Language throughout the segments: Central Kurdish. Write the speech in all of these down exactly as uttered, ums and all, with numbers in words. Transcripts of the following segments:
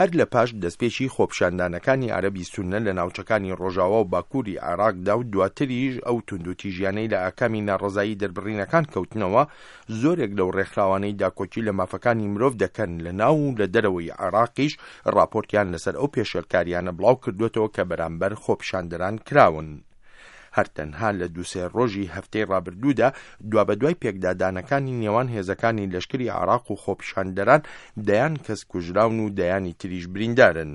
هەر لە پاش دەستپێکی خۆپیشاندانەکانی عەرەبی سوننە لە ناوچەکانی ڕۆژاوا و باکووری عێراقدا و دواتریش ئەو توندوتیژیانەی لە ئاکامی ناڕەزایی دەربڕینەکان کەوتنەوە، زۆرێک لەو ڕێکخراوانەی داکۆکی لە مافەکانی مرۆڤ دەکەن لە ناو و لە دەرەوەی عێراقیش ڕاپۆرتیان لەسەر ئەو پێشێلکاریانە بڵاو کردوێتەوە کە بەرامبەر خۆپیشاندەران کراون. هەر تەنها لە دووسێ ڕۆژی هەفتەی ڕابردوودا دوابەدوای پێکدادانەکانی نێوان هێزەکانی لەشکری عێراق و خۆپیشاندەران دەیان کەس کوژراون و دەیانی تریش بریندارن.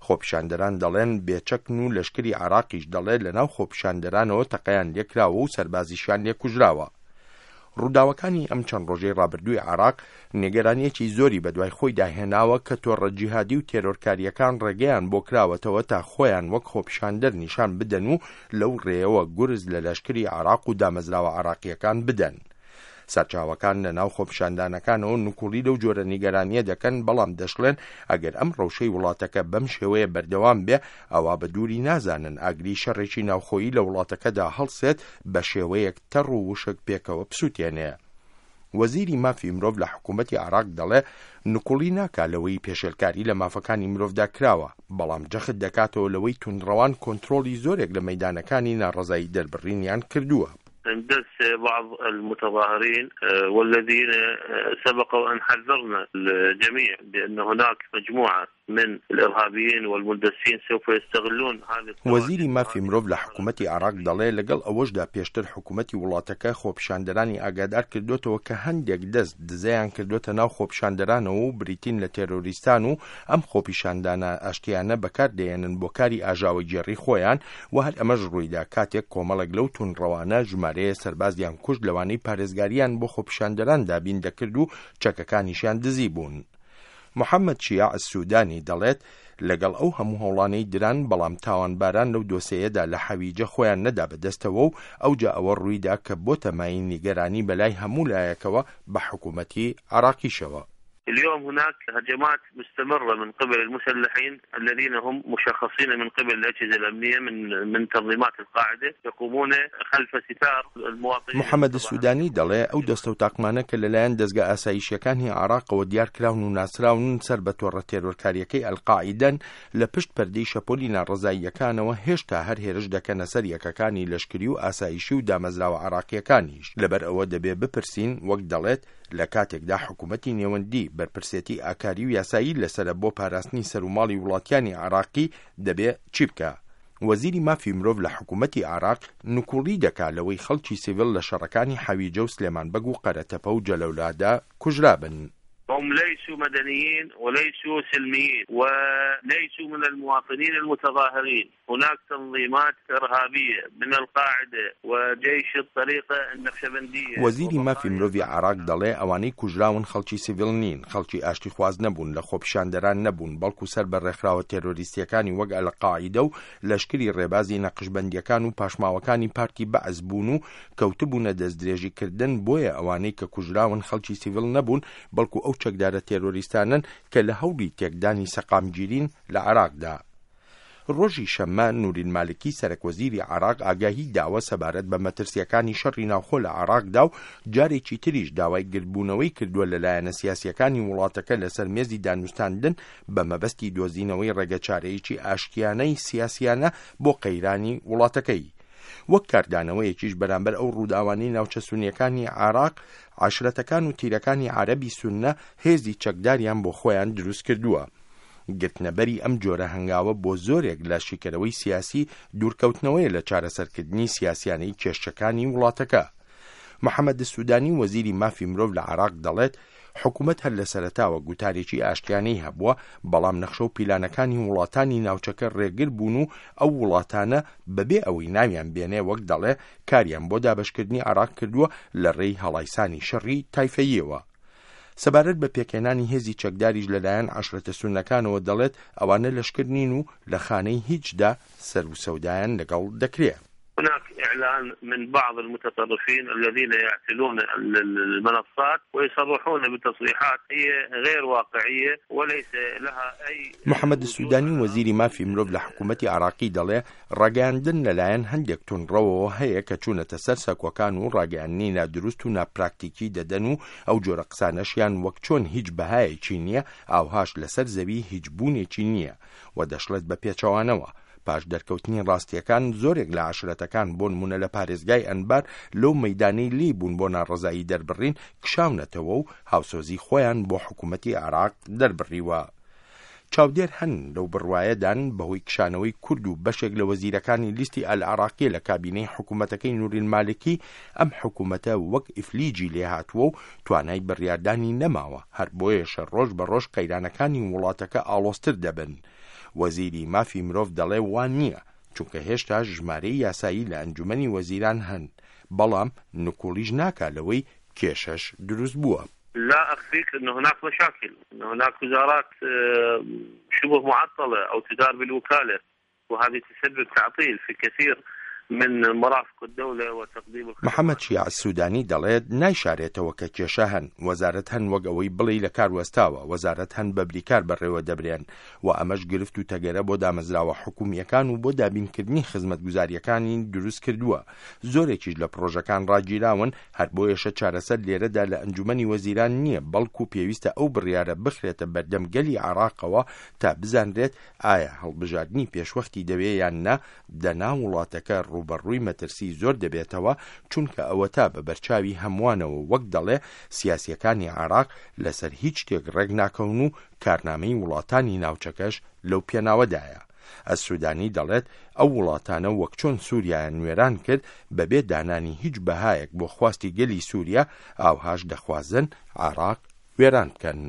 خۆپیشاندەران دەڵێن بێچەکن و لەشکری عێراقیش دەڵێت لەناو خۆپیشاندەرانەوە تەقەیان لێکراوە و سەربازیشیان لێکوژراوە. ڕووداوەکانی ئەم چەند ڕۆژەی ڕابردووی عێراق نیگەرانیەکی زۆری بەدوای خۆیدا هێناوە کە تۆڕە جیهادی و تێرۆرکاریەکان ڕێگەیان بۆ کراوەتەوە تا خۆیان وەک خۆپیشاندەر نیشان بدەن و لەو ڕێیەوە گورز لە لەشکری عێراق و دامەزراوە عێراقیەکان بدەن. سەرچاوەکان لە ناو خۆپیشاندانەکانەوە نکوڵی لەو جۆرە نیگەرانیە دەکەن، بەڵام دەشڵێن ئەگەر ئەم ڕەوشەی وڵاتەکە بەم شێوەیە بەردەوام بێ ئەوە بە دووری نازانن ئاگری شەڕێکی ناوخۆیی لە وڵاتەکەدا هەڵسێت بە شێوەیەک تەڕ و وشک پێکەوە بسووتێنێ. وەزیری مافی مرۆڤ لە حکوومەتی عێراق دەڵێ نکوڵی ناکا لەوەی پێشێلکاری لە مافەکانی مرۆڤدا کراوە، بەڵام جەخت دەکاتەوە لەوەی توندڕەوان کۆنترۆڵی زۆرێک لە مەیدانەکانی ناڕەزایی دەربڕینیان کردووە. اندس بعض المتظاهرين والذين سبق وأن حذرنا الجميع بأن هناك مجموعة من الإرهابيين والمندسين سوف يستغلون هذه. وەزیری مافی مرۆڤ لە حکوومەتی عێراق دەڵێ لەگەڵ ئەوەشدا پێشتر حکوومەتی وڵاتەکە خۆپیشاندەرانی ئاگادار کردوێتەوە کە هەندێک دەست دزەیان کردوێتە ناو خۆپیشاندەرانەوە و بریتین لە تێرۆریستان و ئەم خۆپیشاندانە ئاشتیانە بەکاردێنن بۆ کاری ئاژاوەگێڕی خۆیان و هەر ئەمەش ڕوویدا کاتێک کۆمەڵێک لەو توندڕەوانە ژمارەیە سەربازیان کوشت لەوانەی پارێزگاریان بۆ خۆپیشاندەران دابین دەکرد و چەکەکانیشیان دزی بوون. محەممەد شیاع سوودانی دەڵێت لەگەڵ ئەو هەموو هەوڵانەی دران، بەڵام تاوانباران لەو دۆسەیەدا لە حەویجە خۆیان نەدا بەدەستەوە و ئەوجا ئەوە ڕوویدا کە بۆتە مایەی نیگەرانی بەلای هەموو لایەکەوە بە حکوومەتی عێراقیشەوە. اليوم هناك هجمات مستمرة من قبل المسلحين الذين هم مشخصين من قبل الأجهزة الأمنية من من تنظيمات القاعدة يقومون خلف ستار المواطنين. محەممەد سوودانی دەڵێ ئەو دەستە و تاقمانە کە لەلایەن دەستگا ئاسایشیەکانی عێراقەوە دیارکراون و ناسراون سەر بە تۆڕە تێرۆرکاریەکەی ئەلقاعیدەن لە پشت پەردەی شەپۆلی ناڕەزاییەکانەوە هێشتا هەر هێرش دەکەنە سەر یەکەکانی لەشکری و ئاسایشی و دامەزراوە عێراقیەکانیش. لەبەر ئەوە دەبێ بپرسین وەک دەڵێت لە کاتێکدا حکوومەتی نێوەندی بەرپرسێتی ئاکاری و یاسایی لەسەرە بۆ پاراستنی سەروماڵی وڵاتیانی عێراقی دەبێ چی بکە؟ وەزیری مافی مرۆڤ لە حکوومەتی عێراق نکوڵی دەکا لەوەی خەڵکی سیڤیل لە شەڕەکانی حەویجە و سلێمان بەگ و قەرەتەپە و جەلەولادا کوژرابن. هم ليسوا مدنيين وليسوا سلميين وليسوا من المواطنين المتظاهرين. هناك تنظيمات إرهابية من القاعدة وجيش الطريقة النقشبندية. وەزیری مافی مرۆڤی عێراق دەڵێ ئەوانەی کوژراون خەڵکی سیڤیل نین، خەڵکی ئاشتیخواز نەبوون، لە خۆپیشاندەران نەبوون، بەڵکو سەر بە ڕێکخراوە تێرۆریستیەکانی وەک ئەلقاعیدە و لەشکری ڕێبازی نەقشبەندیەکان و پاشماوەکانی پارتی بەعس بوون و کەوتبوونە دەستدرێژیکردن. بۆیە ئەوانەی کە کوژراون خەڵکی سیڤیل نەبوون، بەڵکو ئەو چەکدارە تێرۆریستانن کە لە هەوڵی تێکدانی سەقامگیرین لە عێراقدا. ڕۆژی شەممە نوری مالکی سەرەک وەزیری عێراق ئاگاهی داوە سەبارەت بە مەترسیەکانی شەڕی ناوخۆ لە عێراقدا و جارێکی تریش داوای گردبوونەوەی کردووە لە لایەنە سیاسیەکانی وڵاتەکە لەسەر مێزی دانوستاندن بە مەبەستی دۆزینەوەی ڕێگەچارەیەکی ئاشتیانەی سیاسیانە بۆ قەیرانی وڵاتەکەی. وەک کاردانەوەیەکیش بەرامبەر ئەو ڕووداوانەی ناوچە سونیەکانی عێراق، عەشرەتەکان و تیرەکانی عەرەبی سوننە هێزی چەکداریان بۆ خۆیان دروست کردووە. گرتنەبەری ئەم جۆرە هەنگاوە بۆ زۆرێک لە شیکەرەوەی سیاسی دوورکەوتنەوەیە لە چارەسەرکردنی سیاسیانەی کێشەکانی وڵاتەکە. محەممەد سوودانی وەزیری مافی مرۆڤ لە عێراق دەڵێت حکوومەت هەر لە سەرەتاوە گوتارێکی ئاشتیانەی هەبووە، بەڵام نەخشە و پیلانەکانی وڵاتانی ناوچەکە ڕێگر بوون و ئەو وڵاتانە بەبێ ئەوەی ناویان بێنێ وەک دەڵێ کاریان بۆ دابەشکردنی عێراق کردووە لە ڕێی هەڵایسانی شەڕی تایفەییەوە. سەبارەت بە پێکهێنانی هێزی چەکداریش لەلایەن عەشرەتە سوننەکانەوە دەڵێت ئەوانە لەشکر نین و لە خانەی هیچدا سەر و سەودایان لەگەڵ دەکرێ. هناك إعلان من بعض المتطرفين الذين يعتلون المنصات ويصرحون بتصريحات هي غير واقعية وليس لها أي. محەممەد سوودانی، وەزیری مافی مرۆڤ لە حکوومەتی عراقی، دەڵێ ڕاگەیاندن لەلایەن هەندێک توندڕەوەوە هەیە کە چوونەتە سەر سەکۆکان و ڕاگەیاندنی نادروست و ناپراکتیکی دەدەن و ئەو جۆرە قسانەشیان وەک چۆن هیچ بەهایەکی نییە، ئاوهاش لەسەر زەوی هیچ بوونێکی نییە. و دەشڵێت بە پێچەوانەوە، پاش دەرکەوتنی ڕاستیەکان، زۆرێک لە عشرەتەکان، بۆ نمونە لە پارێزگای ئەنبار، لەو مەدانەی لی بوون بۆ ناڕەزایی دەربڕین کشاونەتەوە و هاوسۆزی خۆیان بۆ حکوومەتی عراق دەربڕیوە. چاودێر هەن لەو بڕوایەدان بەهۆی کشانەوەی کورد و بەشێک لە وەزیرەکانی لیستی ئەلعراقیە لە کابینەی حکوومەتەکەی نوری المالکی، ئەم حکوومەتە وەک ئیفلیجی لێهاتووە و توانای بڕیاردانی نەماوە، هەر بۆیەشە ڕۆژ بە ڕۆژ قەیرانەکانی وڵاتەکە ئاڵۆزتر دەبن. وەزیری مافی مرۆڤ دەڵێ وان نییە، چونکە هێشتا ژمارەی یاسایی لە ئەنجومەنی وەزیران هەن، بەڵام نکوڵیش ناکا لەوەی کێشەش دروست بووە. لا أخفيك أن هناك مشاكل، أن هناك وزارات شبه معطلة أو تدار بالوكالة، وهذه تسبب تعطيل في كثير من مرافق الدولة وتقديم. محەممەد شیاع السوودانی دەڵێت نایشارێتەوە کە کێشە هەن، وەزارەت هەن وەک ئەوەی بڵێ لە کار وەستاوە، وەزارەت هەن بە بریکار بەڕێوە دەبرێن و ئەمەش گرفت و تەگەرە بۆ دامەزراوە حکومیەکان و بۆ دابینکردنی خزمەتگوزاریەکانی دروست کردووە. زۆرێکیش لە پرۆژەکان ڕاگیراون. هەر بۆیەشە چارەسەر لێرەدا لە ئەنجومەنی وەزیران نییە، بەڵکو پێویستە ئەو بڕیارە بخرێتە بەردەم گەلی عراقەوە تا بزانرێت ئایا هەڵبژاردنی پێشوەختی دەوێ یان نا، دەنا وڵاتەکە ڕووبەڕووی مەترسی زۆر دەبێتەوە، چونکە ئەوە تا بە بەرچاوی هەمووانەوە، وەک دەڵێ، سیاسیەکانی عراق لەسەر هیچ شتێک ڕێک ناکەون و کارنامەی وڵاتانی ناوچەکەش لەو پێناوەدایە. ئەسوودانی دەڵێت ئەو وڵاتانە وەک چۆن سووریایان وێران کرد بەبێ دانانی هیچ بەهایەک بۆ خواستی گەلی سووریا، ئاوهاش دەخوازن عراق وێران بکەن.